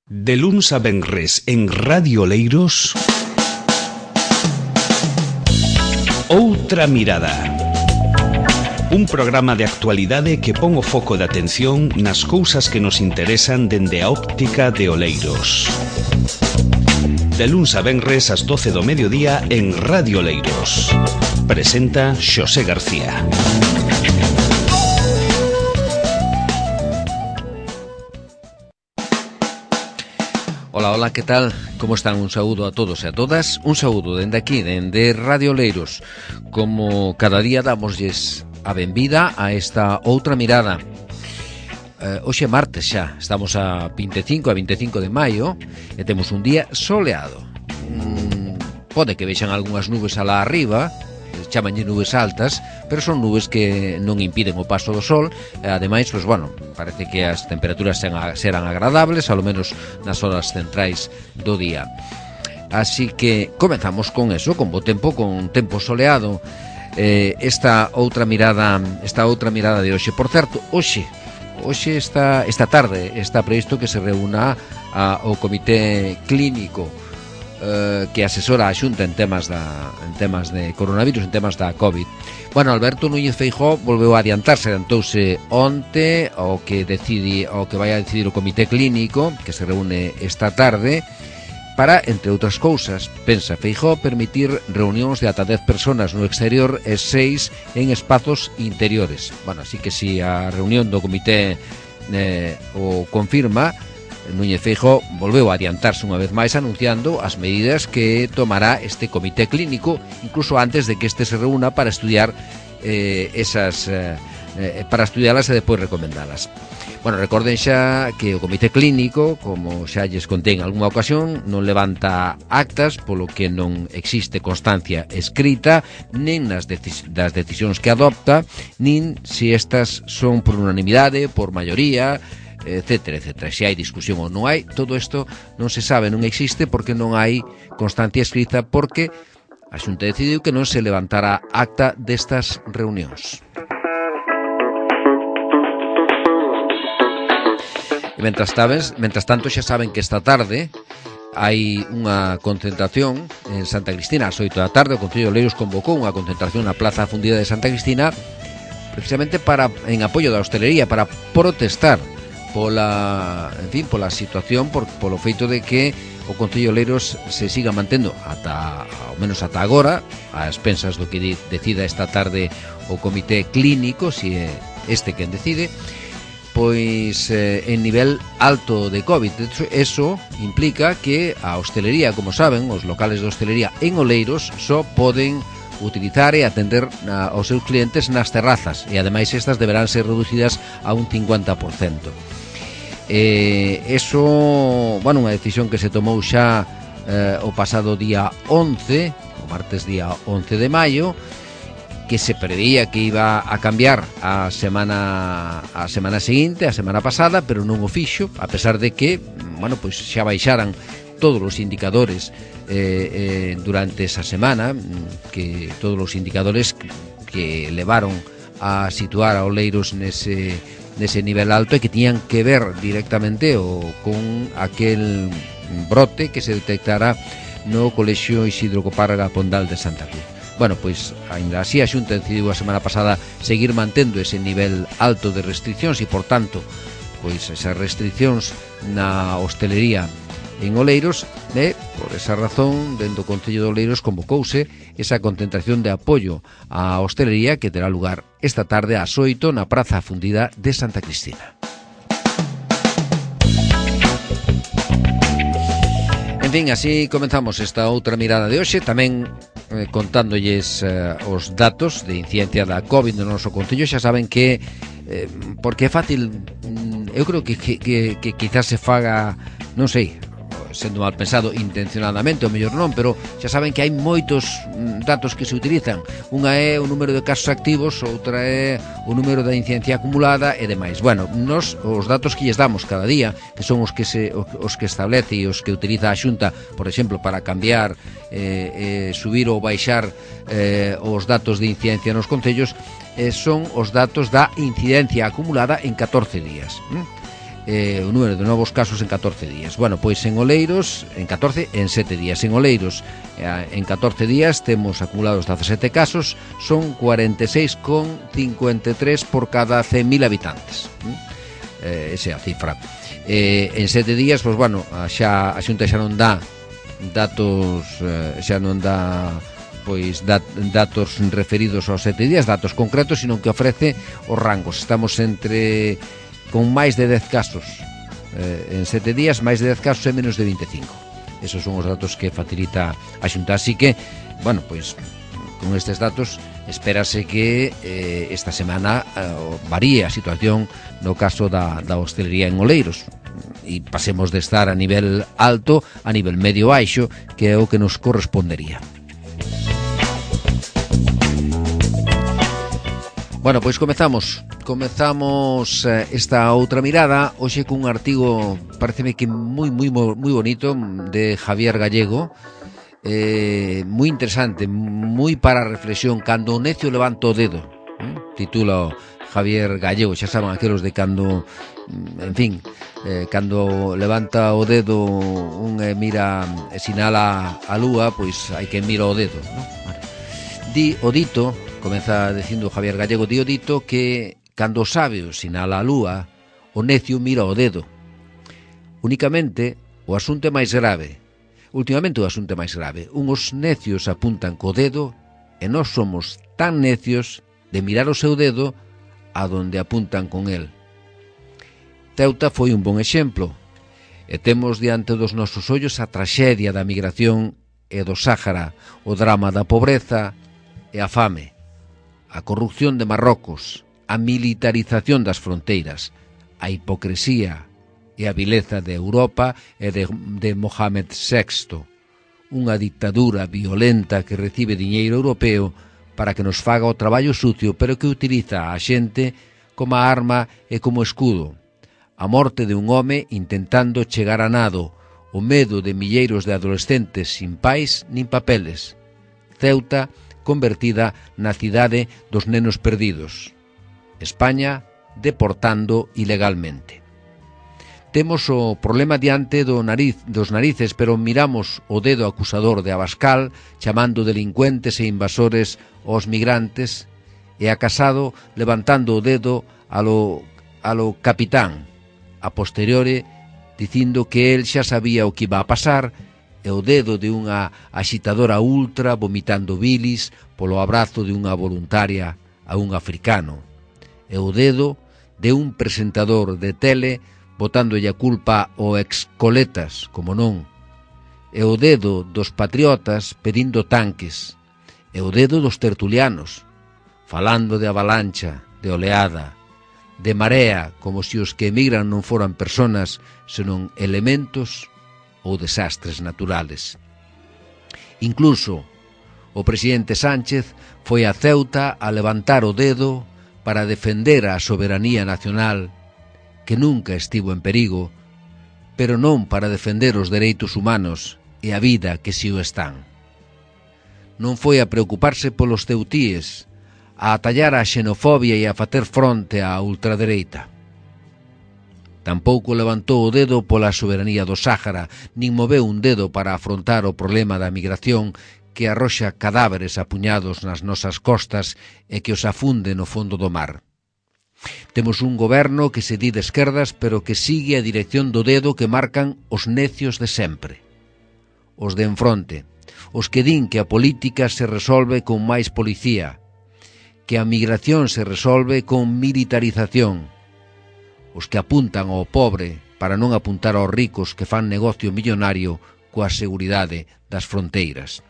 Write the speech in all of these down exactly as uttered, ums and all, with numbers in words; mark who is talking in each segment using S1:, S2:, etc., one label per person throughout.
S1: De luns a venres en Radio Oleiros, Outra Mirada. Un programa de actualidade que pon o foco de atención nas cousas que nos interesan dende a óptica de Oleiros. De luns a venres ás doce do mediodía en Radio Oleiros. Presenta Xosé García.
S2: Ola, ola, que tal? Como están? Un saúdo a todos e a todas. Un saúdo dende aquí, dende Radio Oleiros. Como cada día damosles a benvida a esta outra mirada. eh, Hoxe é martes xa. Estamos a vinte e cinco, a vinte e cinco de maio e temos un día soleado. mm, Pode que vexan algunhas nubes alá arriba, chamanlle nubes altas, pero son nubes que non impiden o paso do sol. E ademais, pois, bueno, parece que as temperaturas serán agradables, ao menos nas horas centrais do día. Así que comezamos con eso, con bo tempo, con tempo soleado. eh, esta outra mirada, esta outra mirada de hoxe. Por certo, hoxe, hoxe esta, esta tarde está previsto que se reúna a, o comité clínico Uh, que asesora a Xunta en temas da en temas de coronavirus, en temas da COVID. Bueno, Alberto Núñez Feijóo volveu a adiantarse, adiantouse onte ao que decidi, ao que vai a decidir o comité clínico que se reúne esta tarde para, entre outras cousas, pensa Feijóo, permitir reunións de ata dez persoas no exterior e seis en espazos interiores. Bueno, así que si a reunión do comité eh, o confirma, Núñez Feijóo volveu a adiantarse unha vez máis anunciando as medidas que tomará este comité clínico, incluso antes de que este se reúna para estudiar eh, esas eh, para estudialas e depois recomendalas. Bueno, recorden xa que o comité clínico, como xa lles contei en algunha ocasión, non levanta actas, polo que non existe constancia escrita nin nas decis- das decisións que adopta, nin se estas son por unanimidade, por maioría, etcétera, etcétera. Se hai discusión ou non hai, todo isto non se sabe, non existe, porque non hai constancia escrita, porque a Xunta decidiu que non se levantara acta destas reunións. E mentras, tabes, mentras tanto xa saben que esta tarde hai unha concentración en Santa Cristina ás oito da tarde. O Concello de Oleiros convocou unha concentración na Plaza Fundida de Santa Cristina precisamente para en apoio da hostelería, para protestar pola, en fin, pola situación, por, polo feito de que o Concello de Oleiros se siga mantendo ata, ao menos ata agora, a expensas do que di, decida esta tarde o comité clínico, se é este quen decide, pois eh, en nivel alto de COVID. De hecho, eso implica que a hostelería, como saben, os locales de hostelería en Oleiros só poden utilizar e atender a, aos seus clientes nas terrazas, e ademais estas deberán ser reducidas a un cincuenta por cento. Eh, eso, bueno, unha decisión que se tomou xa eh, o pasado día once, o martes día once de maio, que se preveía que iba a cambiar a semana a semana seguinte, a semana pasada, pero non o fixo, a pesar de que, bueno, pois xa baixaran todos os indicadores eh, eh, durante esa semana, que todos os indicadores que levaron a situar a Oleiros nese nese nivel alto e que tiñan que ver directamente o, con aquel brote que se detectara no Colexio Isidro Copárraga Pondal de Santa Cruz. Bueno, pois, ainda así, a Xunta decidiu a semana pasada seguir mantendo ese nivel alto de restriccións e, por tanto, pois esas restriccións na hostelería en Oleiros, e, por esa razón, dentro do Concello de Oleiros convocouse esa concentración de apoio á hostelería que terá lugar esta tarde ás oito na Praza Fundida de Santa Cristina. En fin, así comenzamos esta outra mirada de hoxe, tamén eh, contándolles eh, os datos de incidencia da COVID no noso Concello. Xa saben que, eh, porque é fácil, eu creo que, que, que, que quizás se faga, non sei, sendo mal pensado intencionadamente, ou mellor non, pero xa saben que hai moitos datos que se utilizan. Unha é o número de casos activos, outra é o número da incidencia acumulada e demais. Bueno, nos os datos que lles damos cada día, que son os que se os que establece e os que utiliza a Xunta, por exemplo, para cambiar, eh, eh, subir ou baixar eh, os datos de incidencia nos concellos, eh, son os datos da incidencia acumulada en catorce días. ¿Mm? eh, o número de novos casos en catorce días. Bueno, pois en Oleiros, en catorce, en sete días. En Oleiros, eh, en catorce días temos acumulados dezasete casos, son cuarenta e seis coma cincuenta e tres por cada cen mil habitantes. Eh, esa é a cifra. Eh, en sete días, pois bueno, xa a Xunta xa non dá datos, eh, xa non dá pois dat, datos referidos aos sete días, datos concretos, sino que ofrece os rangos. Estamos entre con máis de dez casos eh, en sete días, máis de dez casos e menos de vinte e cinco. Esos son os datos que facilita a Xunta. Así que, bueno, pois con estes datos espérase que eh, esta semana eh, varíe a situación no caso da, da hostelería en Oleiros e pasemos de estar a nivel alto a nivel medio baixo, que é o que nos correspondería. Bueno, pois comezamos Comezamos eh, esta outra mirada hoxe cun artigo, pareceme que moi moi moi bonito, de Javier Gallego, eh, moi interesante, moi para a reflexión. Cando o necio levanta o dedo, eh? Titula Javier Gallego. Xa saben aqueles de cando, en fin, eh, cando levanta o dedo un e mira e sinala a lúa, pois hai que mira o dedo, ¿no? Vale. Di o dito, comeza dicindo Javier Gallego, di o dito que cando o sabio sinala a lúa, o necio mira o dedo. Únicamente o asunto é máis grave. Últimamente o asunto é máis grave. Uns necios apuntan co dedo e nós somos tan necios de mirar o seu dedo a donde apuntan con el. Ceuta foi un bon exemplo, e temos diante dos nosos ollos a traxedia da migración e do Sáhara, o drama da pobreza e a fame, a corrupción de Marrocos, a militarización das fronteiras, a hipocresía e a vileza de Europa e de, de Mohamed sexto, unha dictadura violenta que recibe diñeiro europeo para que nos faga o traballo sucio, pero que utiliza a xente como arma e como escudo. A morte de un home intentando chegar a nado, o medo de milleiros de adolescentes sin pais nin papeles. Ceuta convertida na cidade dos nenos perdidos. España deportando ilegalmente. Temos o problema diante do nariz, dos narices, pero miramos o dedo acusador de Abascal chamando delincuentes e invasores aos migrantes, e a Casado levantando o dedo a lo, a lo capitán, a posteriore dicindo que el xa sabía o que iba a pasar, e o dedo de unha axitadora ultra vomitando bilis polo abrazo de unha voluntaria a un africano, e o dedo de un presentador de tele botándolle a culpa ao ex-coletas, como non, e o dedo dos patriotas pedindo tanques, e o dedo dos tertulianos, falando de avalancha, de oleada, de marea, como se os que emigran non foran personas, senón elementos ou desastres naturales. Incluso o presidente Sánchez foi a Ceuta a levantar o dedo para defender a soberanía nacional, que nunca estivo en perigo, pero non para defender os dereitos humanos e a vida que si o están. Non foi a preocuparse polos ceutíes, a atallar a xenofobia e a facer fronte á ultradereita. Tampouco levantou o dedo pola soberanía do Sáhara, nin moveu un dedo para afrontar o problema da migración que arroxa cadáveres apuñados nas nosas costas e que os afunde no fondo do mar. Temos un goberno que se di de esquerdas, pero que sigue a dirección do dedo que marcan os necios de sempre. Os de enfronte, os que din que a política se resolve con máis policía, que a migración se resolve con militarización, os que apuntan ao pobre para non apuntar aos ricos que fan negocio millonario coa seguridade das fronteiras.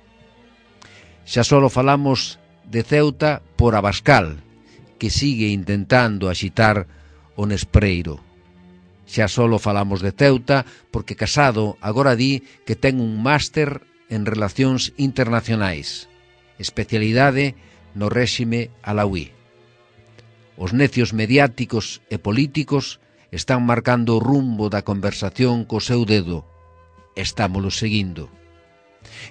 S2: Xa só falamos de Ceuta por Abascal, que sigue intentando axitar o Nespreiro. Xa só falamos de Ceuta porque Casado agora di que ten un máster en Relacións Internacionais, especialidade no réxime alauí. Os necios mediáticos e políticos están marcando o rumbo da conversación co seu dedo. Estámolo seguindo.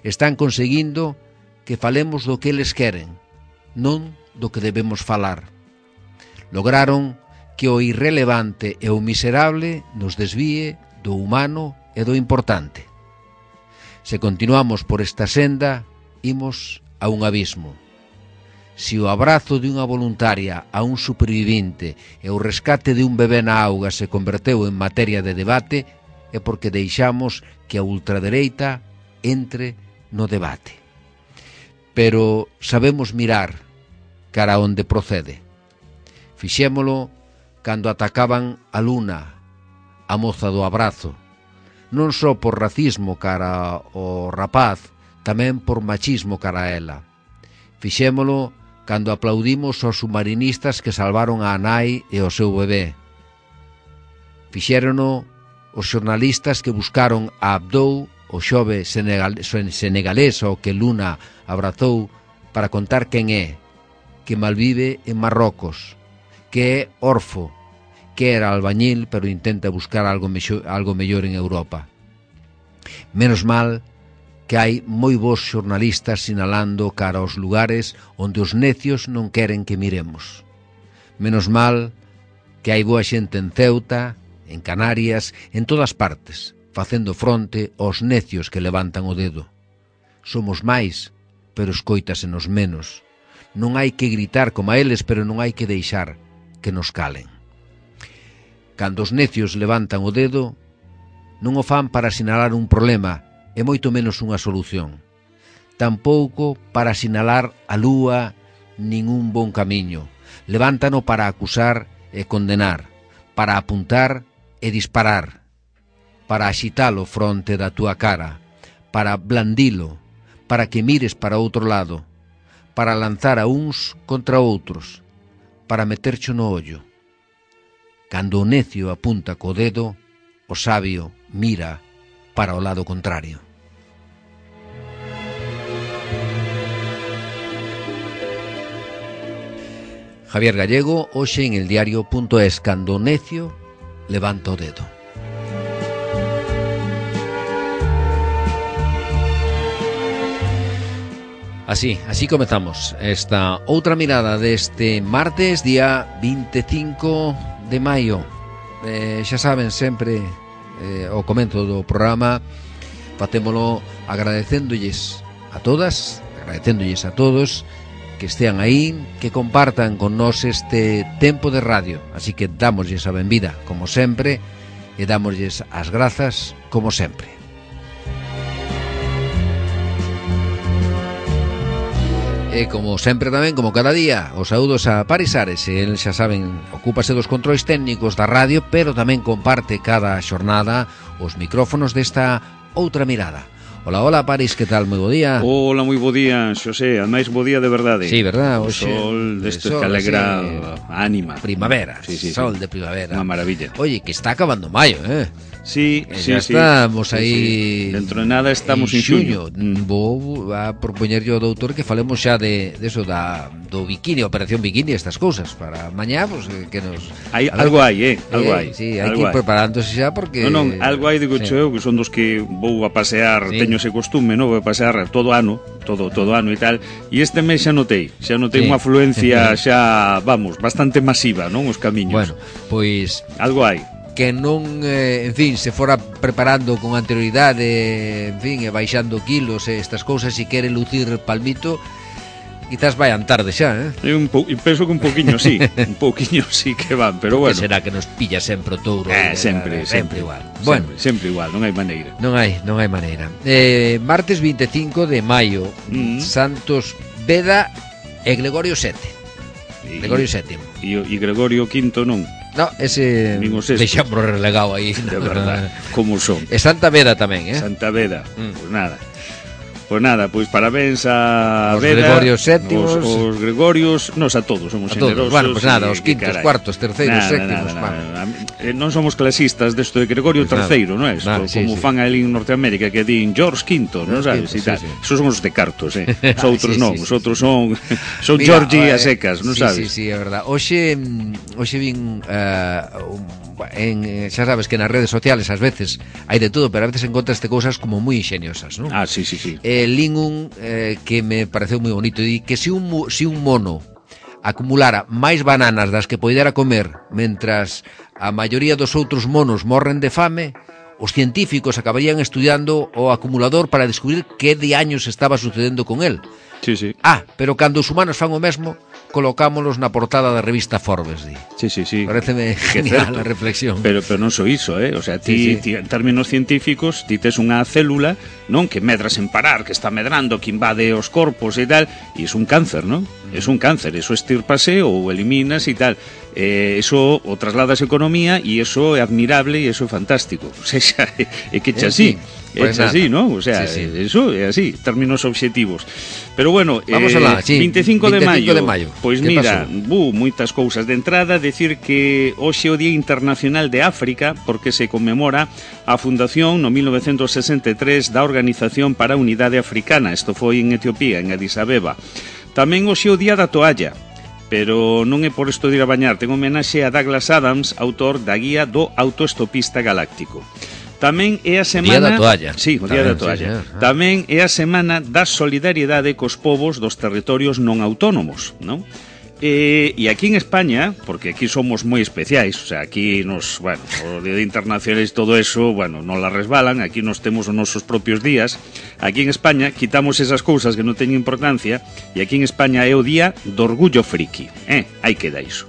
S2: Están conseguindo que falemos do que eles queren, non do que debemos falar. Lograron que o irrelevante e o miserable nos desvíe do humano e do importante. Se continuamos por esta senda, imos a un abismo. Se o abrazo de unha voluntaria a un supervivinte e o rescate de un bebé na auga se converteu en materia de debate, é porque deixamos que a ultradereita entre no debate. Pero sabemos mirar cara onde procede. Fixémolo cando atacaban a Luna, a moza do abrazo, non só por racismo cara ao rapaz, tamén por machismo cara a ela. Fixémolo cando aplaudimos aos submarinistas que salvaron a nai e o seu bebé. Fixérono os xornalistas que buscaron a Abdou, o xove senegal, senegalés ao que Luna abrazou, para contar quen é, que malvive en Marrocos, que é orfo, que era albañil pero intenta buscar algo, mexo, algo mellor en Europa. Menos mal que hai moi bons xornalistas sinalando cara aos lugares onde os necios non queren que miremos. Menos mal que hai boa xente en Ceuta, en Canarias, en todas partes, facendo fronte aos necios que levantan o dedo. Somos máis, pero escóitasenos menos. Non hai que gritar como a eles, pero non hai que deixar que nos calen. Cando os necios levantan o dedo, non o fan para sinalar un problema, e moito menos unha solución. Tampouco para sinalar a lúa nin un bon camiño. Levántano para acusar e condenar, para apuntar e disparar, para axitalo fronte da túa cara, para blandilo, para que mires para outro lado, para lanzar a uns contra outros, para metercho no ollo. Cando o necio apunta co dedo, o sabio mira para o lado contrario. Javier Gallego, hoxe en el diario punto es, cando o necio levanta o dedo. Así, así comezamos esta outra mirada deste martes, día veinticinco de maio. Eh, xa saben, sempre eh, ao comento do programa facémolo agradecéndolles a todas, agradecéndolles a todos que estean aí, que compartan con nós este tempo de radio. Así que dámoslles a benvida, como sempre, e dámoslles as grazas, como sempre. E como sempre tamén, como cada día, os saúdos a Paris Ares. El, xa saben, ocúpase dos controis técnicos da radio, pero tamén comparte cada xornada os micrófonos desta outra mirada. Hola, hola, Paris, que tal? Moi bo día.
S3: Hola, moi bo día, Xosé, ademais bo día de verdade.
S2: Sí, verdad?
S3: O
S2: Oxe,
S3: sol deste
S2: de
S3: que alegra
S2: sí.
S3: a ánima.
S2: Primavera,
S3: sí, sí,
S2: sol
S3: sí.
S2: de primavera.
S3: Unha maravilla.
S2: Oye, que está acabando maio, eh?
S3: Sí,
S2: eh,
S3: sí,
S2: ya
S3: sí.
S2: estamos
S3: sí,
S2: aí.
S3: Sí. Dentro de nada estamos en, en xuño.
S2: Mm. Vou a propoñer yo ao doutor que falemos xa de, de eso, da, do bikini, operación bikini, estas cousas. Para mañá, pues, que nos...
S3: Hai, algo hai, eh? Algo
S2: eh,
S3: hai.
S2: Sí, hai
S3: algo
S2: que ir preparándose xa porque...
S3: Non, non, algo hai, digo, sí. Eu, que son dos que vou a pasear, sí. Teño ese costume, non? Vou a pasear todo ano, todo todo ano e tal, e este mes xa notei, xa notei sí. Unha afluencia xa, vamos, bastante masiva, non? Os camiños.
S2: Bueno, pois...
S3: Algo hai.
S2: Que non, eh, en fin, se fora preparando con anterioridade, en fin, e baixando kilos e estas cousas, se quere lucir palmito, quizás vayan tarde xa, eh?
S3: Eu un po, penso que un poquinho sí, un pouquiño sí que van, pero bueno.
S2: Que será que nos pilla sempre o touro?
S3: Eh, sempre,
S2: sempre, sempre igual.
S3: Sempre,
S2: bueno,
S3: sempre igual, non hai maneira.
S2: Non hai, non hai maneira. Eh, martes veinticinco de maio, mm. Santos Beda e Gregorio sete. E, Gregorio sétimo.
S3: E, e Gregorio quinto non.
S2: No, ese deixamos relegado aí.
S3: De verdad, como son.
S2: E Santa Beda tamén, eh?
S3: Santa Beda, mm. Pois nada. Pois nada, pois parabéns a
S2: os
S3: Beda,
S2: Gregorios sétimos,
S3: os, os Gregorios, nos a todos, somos
S2: a
S3: generosos.
S2: Todos. Bueno, pois pues nada,
S3: y,
S2: os quintos,
S3: caray.
S2: cuartos, terceiros,
S3: nada,
S2: sétimos,
S3: nada, nada, nada. Non somos clasistas desto de Gregorio pues terceiro, non é? Como
S2: sí, sí.
S3: fan ali en Norteamérica que din George quinto, non sabes?
S2: Sí,
S3: sí,
S2: sí.
S3: Esos somos os de cartos, eh? Os outros
S2: sí,
S3: non,
S2: sí,
S3: os outros
S2: sí,
S3: son son
S2: Mira,
S3: Georgie
S2: eh,
S3: a secas, non
S2: sí,
S3: sabes?
S2: Sí, sí, é verdad. Hoxe hoxe vin uh, un, en, xa sabes que nas redes sociales ás veces hai de todo, pero a veces encontraste cousas como moi ingeniosas, non?
S3: Ah, sí, sí, sí.
S2: Eh, lin un eh, que me pareceu moi bonito, e que se un, si un mono acumulara máis bananas das que poidera comer, mentras a maioría dos outros monos morren de fame, os científicos acabarían estudiando o acumulador para descubrir que de años estaba sucedendo con él.
S3: Sí, sí.
S2: Ah, pero cando os humanos fan o mesmo, colocámolos na portada da revista Forbes, di.
S3: Sí, sí, sí.
S2: Pareceme genial a reflexión.
S3: Pero, pero non só iso, eh? O sea, ti, sí, sí. ti en términos científicos, ti tes unha célula, non, que medra sen parar, que está medrando, que invade os corpos e tal, e é un cáncer, non? Mm. É un cáncer, eso estirpase ou eliminas e tal. Eh, eso o trasladas a economía e eso é admirable e eso é fantástico. O sea, é que che así. É pues así, ¿no? O sea, sí, sí. eso é así, términos obxectivos. Pero bueno,
S2: vamos
S3: eh,
S2: alá, sí,
S3: veinticinco de maio. Pois
S2: pues
S3: mira, bu, moitas cousas de entrada, decir que hoxe é o Día Internacional de África, porque se conmemora a fundación no mil novecentos sesenta e tres da Organización para a Unidade Africana. Isto foi en Etiopía, en Addis Abeba. Tamén hoxe é o Día da Toalla, pero non é por isto de ir a bañar, ten homenaxe a Douglas Adams, autor da guía do autoestopista galáctico. Tamén é a semana...
S2: O Día da Toalla.
S3: Sí, o Día da Toalla. Sí, sí. Tamén é a semana da solidariedade cos povos dos territorios non autónomos, non? E, e aquí en España, porque aquí somos moi especiais, o sea, aquí nos, bueno, o Día Internacional e todo eso, bueno, non la resbalan, aquí nos temos os nosos propios días. Aquí en España quitamos esas cousas que non teñen importancia, e aquí en España é o Día do Orgullo Friki, eh? Aí queda iso.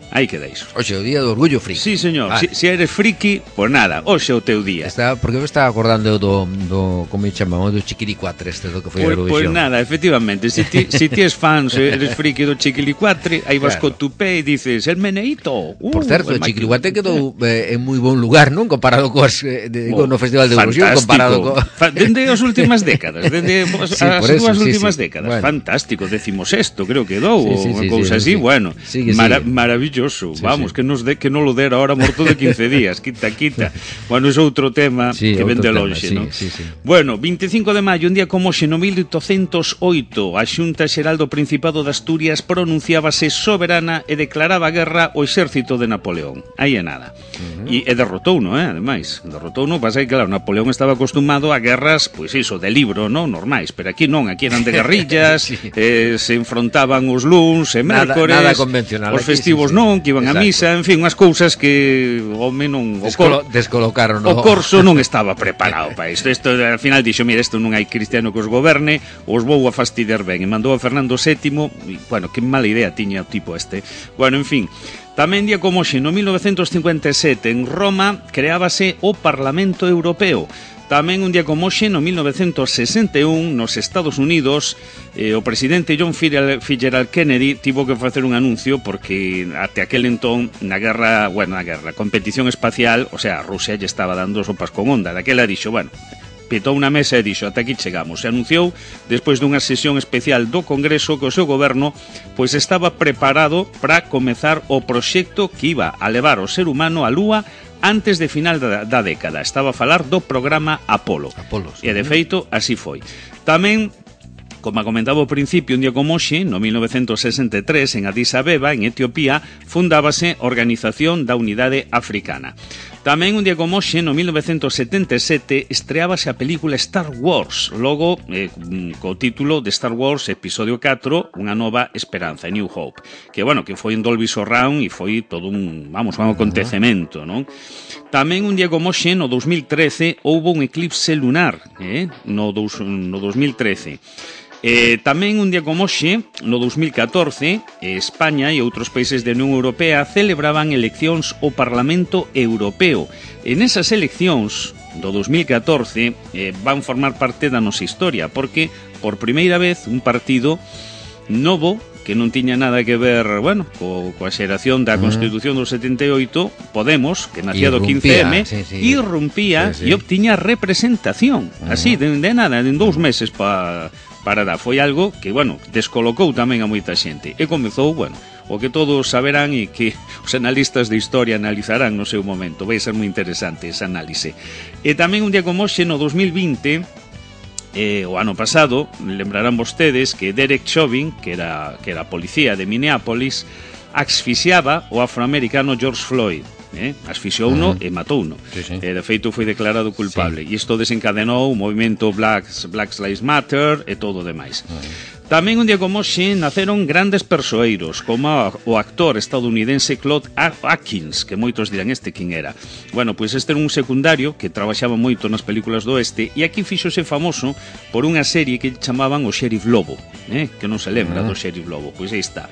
S3: Aí queda iso.
S2: Oxe, o Día do Orgullo Friki.
S3: Sí, señor. Ah. Si, si eres friki, pois pues nada, hoxe é o teu día.
S2: Está, porque eu estaba acordando do, do como me chamamos, do Chiquilicuatre, este do que foi
S3: pues,
S2: a Eurovisión.
S3: Pois pues nada, efectivamente, si ti, si ti es fan, se eres friki do Chiquilicuatre, aí vas claro. co tu pé e dices, el meneíto. Uh,
S2: Por certo, o Chiquilicuatre quedou eh, en moi bon lugar, non? Comparado coas, eh, de, oh, no Festival de Eurovisión, comparado co...
S3: Fa, dende as últimas décadas, dende sí, as dúas sí, últimas sí, décadas. Bueno. Fantástico, decimos esto, creo que dou, sí, sí, unha sí, cousa sí, así, sí. Bueno, sigue, mara, sigue. maravilloso, sí, vamos, sí. que nos de que non lo dera ahora morto de quince días, quita, quita. Bueno, é outro tema sí, que ven de lonxe, sí, non? Sí, sí. Bueno, veinticinco de maio, un día como hoxe, no mil oitocentos oito, a Xunta Xeral do Principado de Asturias pronunciábase soberana e declaraba guerra ao exército de Napoleón. Aí é nada. Uh -huh. E, e derrotouno, eh, ademais. Derrotouno, pasa que, claro, Napoleón estaba acostumado a guerras, pois iso, de libro, non? Normais, pero aquí non, aquí eran de guerrillas, sí. eh, se enfrontaban os luns e mércores,
S2: nada, nada convencional,
S3: os festivos sí, sí, sí. non, que iban Exacto. a misa, en fin, unhas cousas que o home non o,
S2: Descolo, cor, descolocaron
S3: o corso non estaba preparado para isto. Isto al final dixo, mira, isto non hai cristiano que os goberne, os vou a fastidiar ben, e mandou a Fernando sétimo, e, bueno, que mala idea tiña o tipo este. Bueno, en fin, tamén día como hoxe, no mil novecentos cincuenta e sete, en Roma, creábase o Parlamento Europeo. Tamén un día como hoxe, no mil novecentos sesenta e un, nos Estados Unidos, eh, o presidente John Fitzgerald Kennedy tivo que facer un anuncio porque até aquel entón, na guerra, bueno, na guerra, competición espacial, o sea, Rusia lle estaba dando sopas con onda. Daquela dixo, bueno, pitou unha mesa e dixo, ata aquí chegamos. Se anunciou, despois dunha sesión especial do Congreso, que o seu goberno pois estaba preparado para comezar o proxecto que iba a levar o ser humano á Lúa antes de final da, da década. Estaba a falar do programa Apolo.
S2: Apolo, sí.
S3: E de feito, así foi. Tamén, como comentaba ao principio, un día como hoxe, no mil novecentos sesenta e tres, en Addis Abeba, en Etiopía, fundábase a Organización da Unidade Africana. Tamén un día como hoxe, no mil novecentos setenta e sete, estreábase a película Star Wars, logo eh, co título de Star Wars Episodio catro, Unha Nova Esperanza, New Hope, que, bueno, que foi en Dolby Surround e foi todo un, vamos, un acontecemento, non? Tamén un día como hoxe, no dos mil trece, houbo un eclipse lunar, eh? no, dos, no dos mil trece. Eh, tamén un día como hoxe, no dos mil catorce, España e outros países da Unión Europea celebraban eleccións ao Parlamento Europeo. En esas eleccións do dos mil catorce eh, van formar parte da nosa historia, porque por primeira vez un partido novo que non tiña nada que ver, bueno, co, coa xeración da Constitución do setenta e oito, Podemos, que nacía do quince eme, sí, sí. irrumpía sí, sí. e obtiña representación, uh -huh. así, de, de nada, en dous meses pa, para dar. Foi algo que, bueno, descolocou tamén a moita xente. E comezou, bueno, o que todos saberán e que os analistas de historia analizarán no seu momento. Vai ser moi interesante ese análise. E tamén un día como hoxe, no dos mil vinte, Eh, o ano pasado, lembrarán vostedes que Derek Chauvin, que era, que era policía de Minneapolis, asfixiaba o afroamericano George Floyd. Eh? Asfixiou uno uh -huh. e matou uno. Sí, sí. Eh, de feito foi declarado culpable. Sí. E isto desencadenou o movimento Blacks, Black Lives Matter e todo o demais. Uh -huh. Tamén un día como hoxe naceron grandes persoeiros, como o actor estadounidense Claude Atkins, que moitos dirán este quen era. Bueno, pois este era un secundario que trabaxaba moito nas películas do oeste e aquí fíxose famoso por unha serie que chamaban o Sheriff Lobo, eh? Que non se lembra do Sheriff Lobo, pois aí está.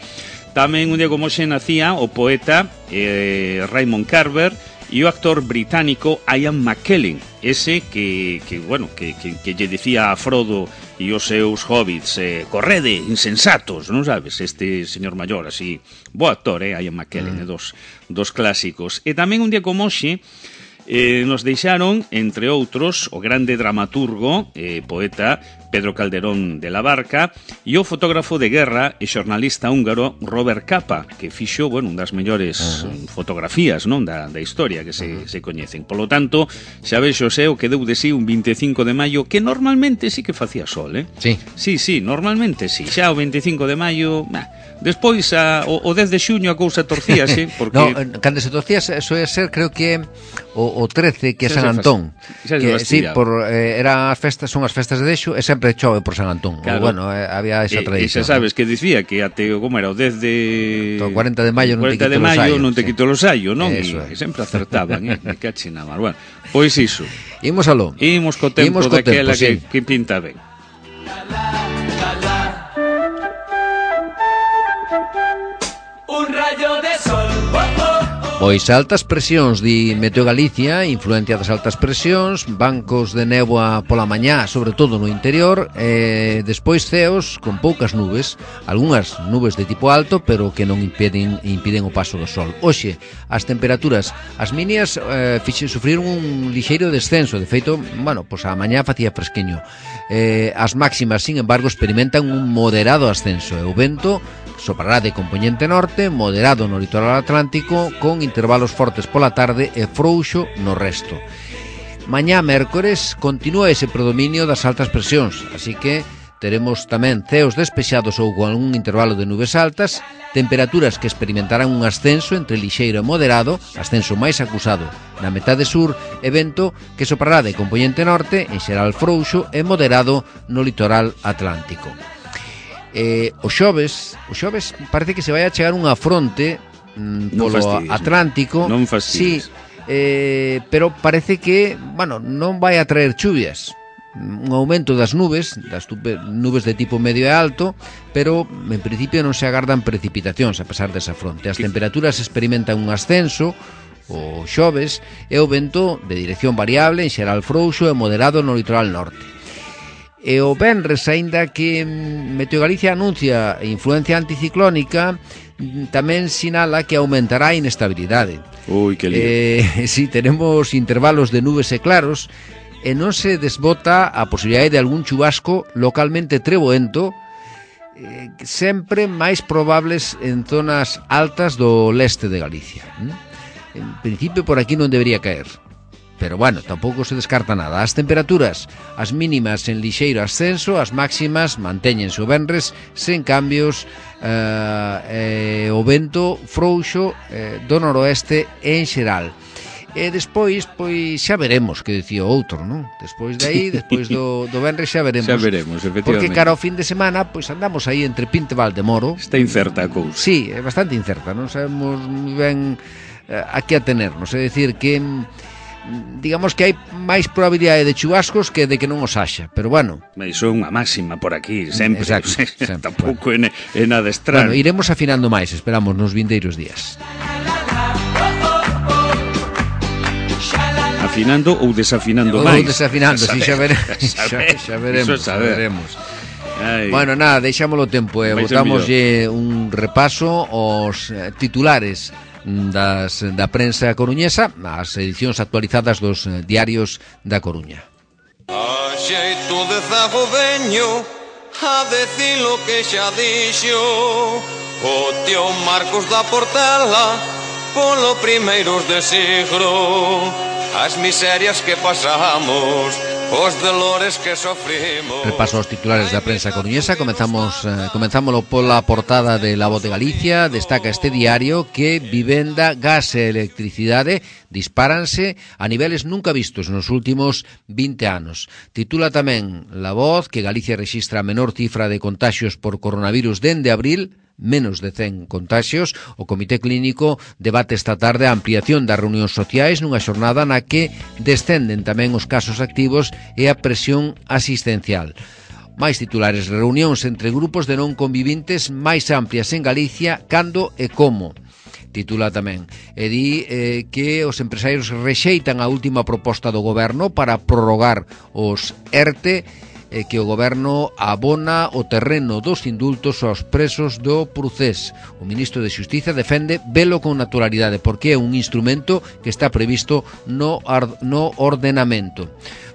S3: Tamén un día como hoxe nacía o poeta eh, Raymond Carver e o actor británico Ian McKellen, ese que, que bueno, que, que, que lle dicía a Frodo e os seus hobbits, eh, correde, insensatos, non sabes? Este señor maior, así, bo actor, eh, Ian McKellen, mm. eh, dos, dos clásicos. E tamén un día como hoxe, eh, nos deixaron, entre outros, o grande dramaturgo, eh, poeta Pedro Calderón de la Barca e o fotógrafo de guerra e xornalista húngaro Robert Capa, que fixo, bueno, un das mellores uh-huh. fotografías, non, da, da historia que se, uh-huh. se coñecen. Polo tanto, xa vexo xe o que deu de sí un vinte e cinco de maio, que normalmente sí que facía sol, eh?
S2: Sí.
S3: Sí, sí, normalmente sí. Xa o vinte e cinco de maio, nah. Despois, a, o, o dez de xuño a cousa torcíase, porque...
S2: No, cando se torcía, soe ser, creo que o, o trece, que é San Antón. Que, sí, por, eh, era as festas, son as festas de Deixo, e sempre chove por San Antón. Claro. O, bueno, eh, había esa tradición.
S3: E xa sabes que dicía que até, como era, o dez de...
S2: O cuarenta de maio non te quito
S3: de maio non te
S2: sí.
S3: quito los ayo, non?
S2: Eso
S3: E, é. sempre acertaban, eh? Me cachina mal. Bueno, pois iso.
S2: Imos aló.
S3: Imos co tempo
S2: Imos co
S3: daquela
S2: tempo,
S3: que,
S2: sí.
S3: que pinta ben.
S4: Un rayo de sol. Oh, oh, oh.
S2: Pois altas presións, di Meteo Galicia, influencia das altas presións, bancos de néboa pola mañá, sobre todo no interior, e despois ceos con poucas nubes, algunhas nubes de tipo alto, pero que non impiden, impiden o paso do sol. Hoxe, as temperaturas, as mínimas eh, fixen sufrir un lixeiro descenso, de feito, bueno, pois a mañá facía fresqueño. Eh, as máximas, sin embargo, experimentan un moderado ascenso, e o vento soprará de compoñente norte, moderado no litoral atlántico, con intervalos fortes pola tarde e frouxo no resto. Mañá mércores continúa ese predominio das altas presións, así que teremos tamén ceos despexados ou con algún intervalo de nubes altas, temperaturas que experimentarán un ascenso entre lixeiro e moderado, ascenso máis acusado na metade sur, e vento que soprará de compoñente norte, en xeral frouxo e moderado no litoral atlántico. Eh, o xoves, o xoves parece que se vai a chegar unha fronte mm, polo
S3: non
S2: Atlántico.
S3: Non fastidies.
S2: Sí, eh, pero parece que, bueno, non vai a traer chuvias. Un aumento das nubes, das nubes de tipo medio e alto, pero en principio non se agardan precipitacións a pesar desa fronte. As temperaturas experimentan un ascenso o xoves e o vento de dirección variable, en xeral frouxo e moderado no litoral norte. E o venres, aínda que Meteo Galicia anuncia influencia anticiclónica, tamén sinala que aumentará a inestabilidade.
S3: Ui, que lío.
S2: Eh, si, tenemos intervalos de nubes e claros, e non se desbota a posibilidade de algún chubasco localmente treboento, eh, sempre máis probables en zonas altas do leste de Galicia. En principio por aquí non debería caer, pero bueno, tampouco se descarta nada. As temperaturas, as mínimas en lixeiro ascenso, as máximas mantéñense o venres sen cambios, eh, eh, o vento frouxo eh, do noroeste en xeral. E despois, pois, xa veremos, que dicía o outro, non? Despois de aí, despois do, do venres xa veremos.
S3: Xa veremos, efectivamente.
S2: Porque cara ao fin de semana, pois andamos aí entre Pinto e Valdemoro.
S3: Está incerta a cousa.
S2: Sí, é bastante incerta, non sabemos moi ben eh, a que atenernos. É dicir que digamos que hai máis probabilidade de chubascos que de que non os haxa, pero bueno.
S3: Iso é unha máxima por aquí, sempre.
S2: Exacto, sempre.
S3: Tampouco bueno. é, é nada extraño.
S2: Bueno, iremos afinando máis, esperamos, nos vindeiros días.
S3: Afinando ou desafinando máis?
S2: Ou desafinando, si, xa, vere... xa, xa veremos, xa veremos. Ai. Bueno, nada, deixámoslo tempo, eh. Botámoslle un repaso aos titulares das, da prensa coruñesa, as edicións actualizadas dos diarios da Coruña.
S5: A xeito de zago veño a decir lo que xa dixo o tío Marcos da Portela polo primeiros de siglo. As miserias que pasamos os dolores que sofrimos.
S2: Repaso aos titulares da prensa coruñesa. Comezamos, eh, comenzámolo pola portada de La Voz de Galicia. Destaca este diario que vivenda, gas e electricidade dispáranse a niveles nunca vistos nos últimos vinte anos. Titula tamén La Voz que Galicia rexistra a menor cifra de contaxios por coronavirus dende abril, menos de cen contaxios. O Comité Clínico debate esta tarde a ampliación das reunións sociais nunha xornada na que descenden tamén os casos activos e a presión asistencial. Máis titulares, reunións entre grupos de non convivintes máis amplias en Galicia, cando e como. Titula tamén, e di eh, que os empresarios rexeitan a última proposta do goberno para prorrogar os ERTE, e que o goberno abona o terreno dos indultos aos presos do Procés. O ministro de Xustiza defende velo con naturalidade porque é un instrumento que está previsto no, no ordenamento.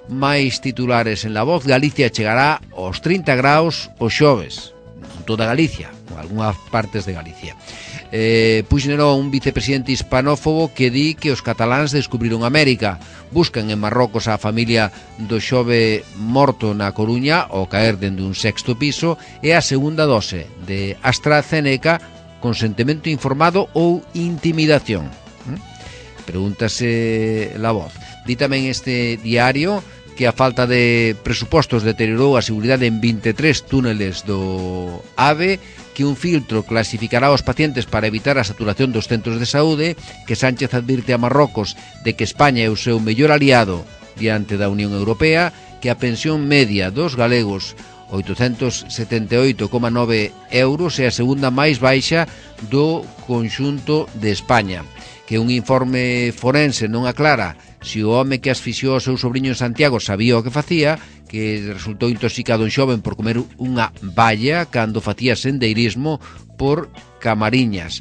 S2: Máis titulares en La Voz. Galicia chegará aos trinta graus o xoves, en toda Galicia, ou algunhas partes de Galicia. Eh, Puigneró, un vicepresidente hispanófobo que di que os cataláns descubriron América. Buscan en Marrocos a familia do xove morto na Coruña ao caer dende un sexto piso e a segunda dose de AstraZeneca, consentimento informado ou intimidación. Pregúntase La Voz. Di tamén este diario que a falta de presupostos deteriorou a seguridade en vinte e tres túneles do AVE, que un filtro clasificará os pacientes para evitar a saturación dos centros de saúde, que Sánchez advirte a Marrocos de que España é o seu mellor aliado diante da Unión Europea, que a pensión media dos galegos, oitocentos setenta e oito coma nove euros, é a segunda máis baixa do conxunto de España, que un informe forense non aclara se o home que asfixiou o seu sobrinho en Santiago sabía o que facía, que resultou intoxicado en xoven por comer unha balla cando facía sendeirismo por Camariñas,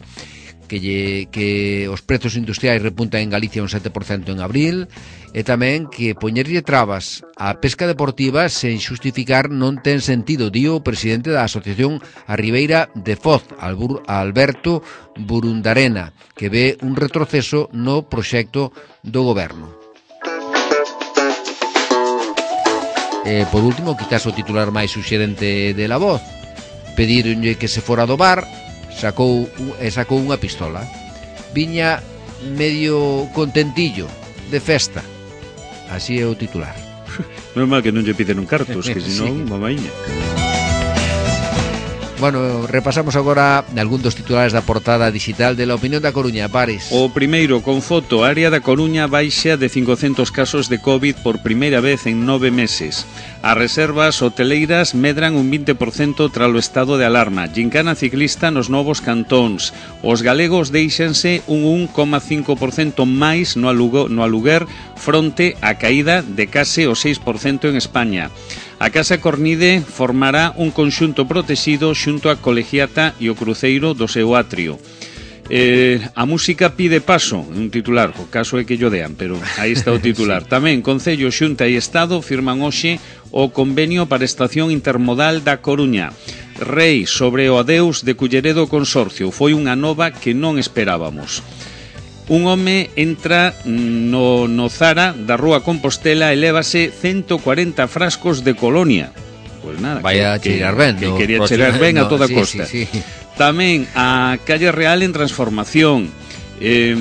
S2: que, lle, que os prezos industriais repuntan en Galicia un sete por cento en abril, e tamén que poñerlle trabas á pesca deportiva sen xustificar non ten sentido, dio o presidente da Asociación A Ribeira de Foz, Alberto Burundarena, que ve un retroceso no proxecto do goberno. E, por último, quizás o titular máis suxerente de La Voz. Pedironlle que se fora do bar, sacou, e sacou unha pistola. Viña medio contentillo, de festa. Así é o titular.
S3: Normal que non lle piden un cartos, que senón, sí. Mamaíña.
S2: Bueno, repasamos agora algún dos titulares da portada digital de La Opinión da Coruña. Pares.
S3: O primeiro, con foto, a área da Coruña baixa de cincocentos casos de COVID por primeira vez en nove meses. As reservas hoteleiras medran un vinte por cento tras o estado de alarma. Gincana ciclista nos novos cantóns. Os galegos deixanse un un coma cinco por cento máis no aluguer fronte á caída de case o seis por cento en España. A Casa Cornide formará un conxunto protexido xunto a Colegiata e o cruceiro do seu atrio. Eh, a música pide paso, un titular, o caso é que llo dean, pero aí está o titular. Tamén Concello, Xunta e Estado firman hoxe o convenio para a estación intermodal da Coruña. Rei sobre o adeus de Culleredo Consorcio, foi unha nova que non esperábamos. Un home entra no, no Zara da Rúa Compostela e lévase ciento cuarenta frascos de colonia. Pois nada,
S2: vaya
S3: que,
S2: cheirar ben,
S3: que, que quería cheirar ben a toda
S2: sí,
S3: costa.
S2: Sí, sí.
S3: Tamén a Calle Real en transformación. Eh,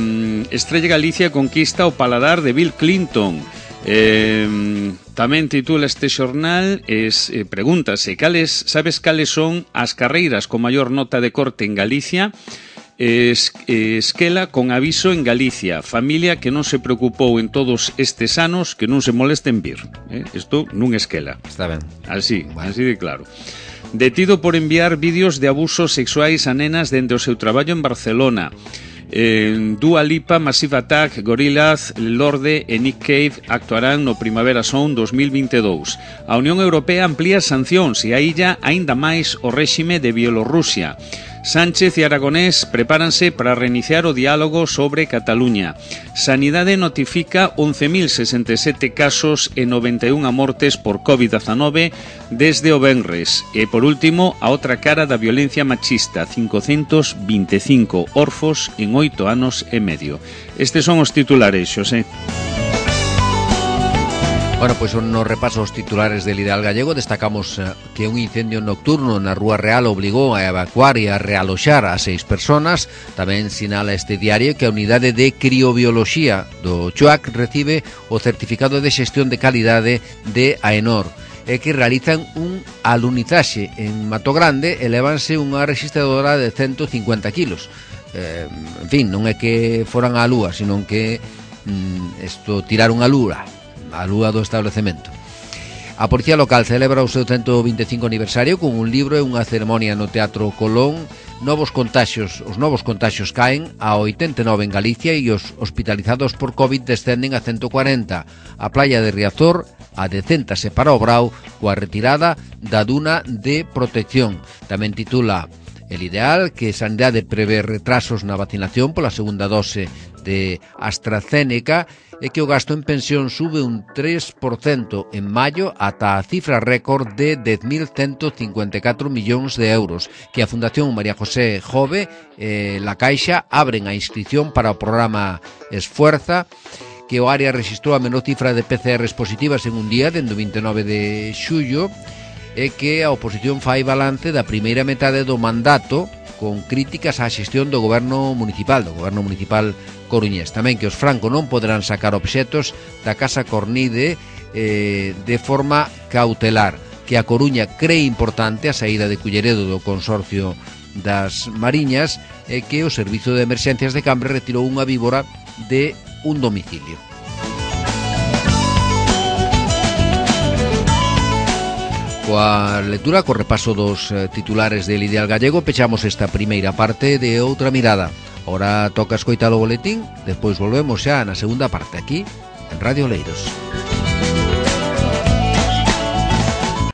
S3: Estrella Galicia conquista o paladar de Bill Clinton. Eh, tamén titula este xornal, es, eh, pregúntase, cales, sabes cales son as carreiras con maior nota de corte en Galicia? Es, esquela con aviso en Galicia, familia que non se preocupou en todos estes anos que non se molesten vir. Eh? Isto non esquela.
S2: Está ben.
S3: Así, bueno. Así de claro. Detido por enviar vídeos de abusos sexuais a nenas dende o seu traballo en Barcelona. Eh, Dua Lipa, Massive Attack, Gorillaz, Lorde e Nick Cave actuarán no Primavera Sound dos mil vinte e dous. A Unión Europea amplía sancións e aílla aínda máis o réxime de Bielorrusia. Sánchez e Aragonés prepáranse para reiniciar o diálogo sobre Cataluña. Sanidade notifica once mil sesenta e sete casos e noventa e unha mortes por covid dezanove desde o venres. E, por último, a outra cara da violencia machista, cincocentos vinte e cinco orfos en oito anos e medio. Estes son os titulares, Xosé.
S2: Bueno, pois pues, no repaso os titulares del Ideal Gallego destacamos uh, que un incendio nocturno na Rúa Real obligou a evacuar e a realoxar a seis personas. Tamén sinala este diario que a unidade de criobioloxía do Chuac recibe o certificado de xestión de calidade de AENOR e que realizan un alunizaxe en Mato Grande e levanse unha registradora de ciento cincuenta kilos. Eh, en fin, non é que foran á lúa, sino que mm, esto tiraron a lúa a lúa do establecemento. A Policía Local celebra o seu ciento vinte e cinco aniversario con un libro e unha ceremonia no Teatro Colón. Novos contaxios, os novos contaxios caen a oitenta e nove en Galicia e os hospitalizados por COVID descenden a ciento cuarenta. A playa de Riazor adecéntase para o Brao coa retirada da duna de protección. Tamén titula El Ideal que Sanidade prevé retrasos na vacinación pola segunda dose de AstraZeneca e que o gasto en pensión sube un tres por cento en maio ata a cifra récord de dez mil ciento cincuenta e catro millóns de euros, que a Fundación María José Jove e La Caixa abren a inscripción para o programa Esfuerza, que o área registrou a menor cifra de P C Rs positivas en un día dende o vinte e nove de xullo e que a oposición fai balance da primeira metade do mandato con críticas á xestión do goberno municipal, do goberno municipal coruñés. Tamén que os Franco non poderán sacar obxetos da Casa Cornide eh, de forma cautelar, que a Coruña cree importante a saída de Culleredo do Consorcio das Mariñas e que o Servizo de Emerxencias de Cambre retirou unha víbora de un domicilio. Coa lectura, co repaso dos eh, titulares del Ideal Gallego, pechamos esta primeira parte de Outra Mirada. Ora toca escoitar o boletín, despois volvemos xa na segunda parte aquí en Radio Oleiros.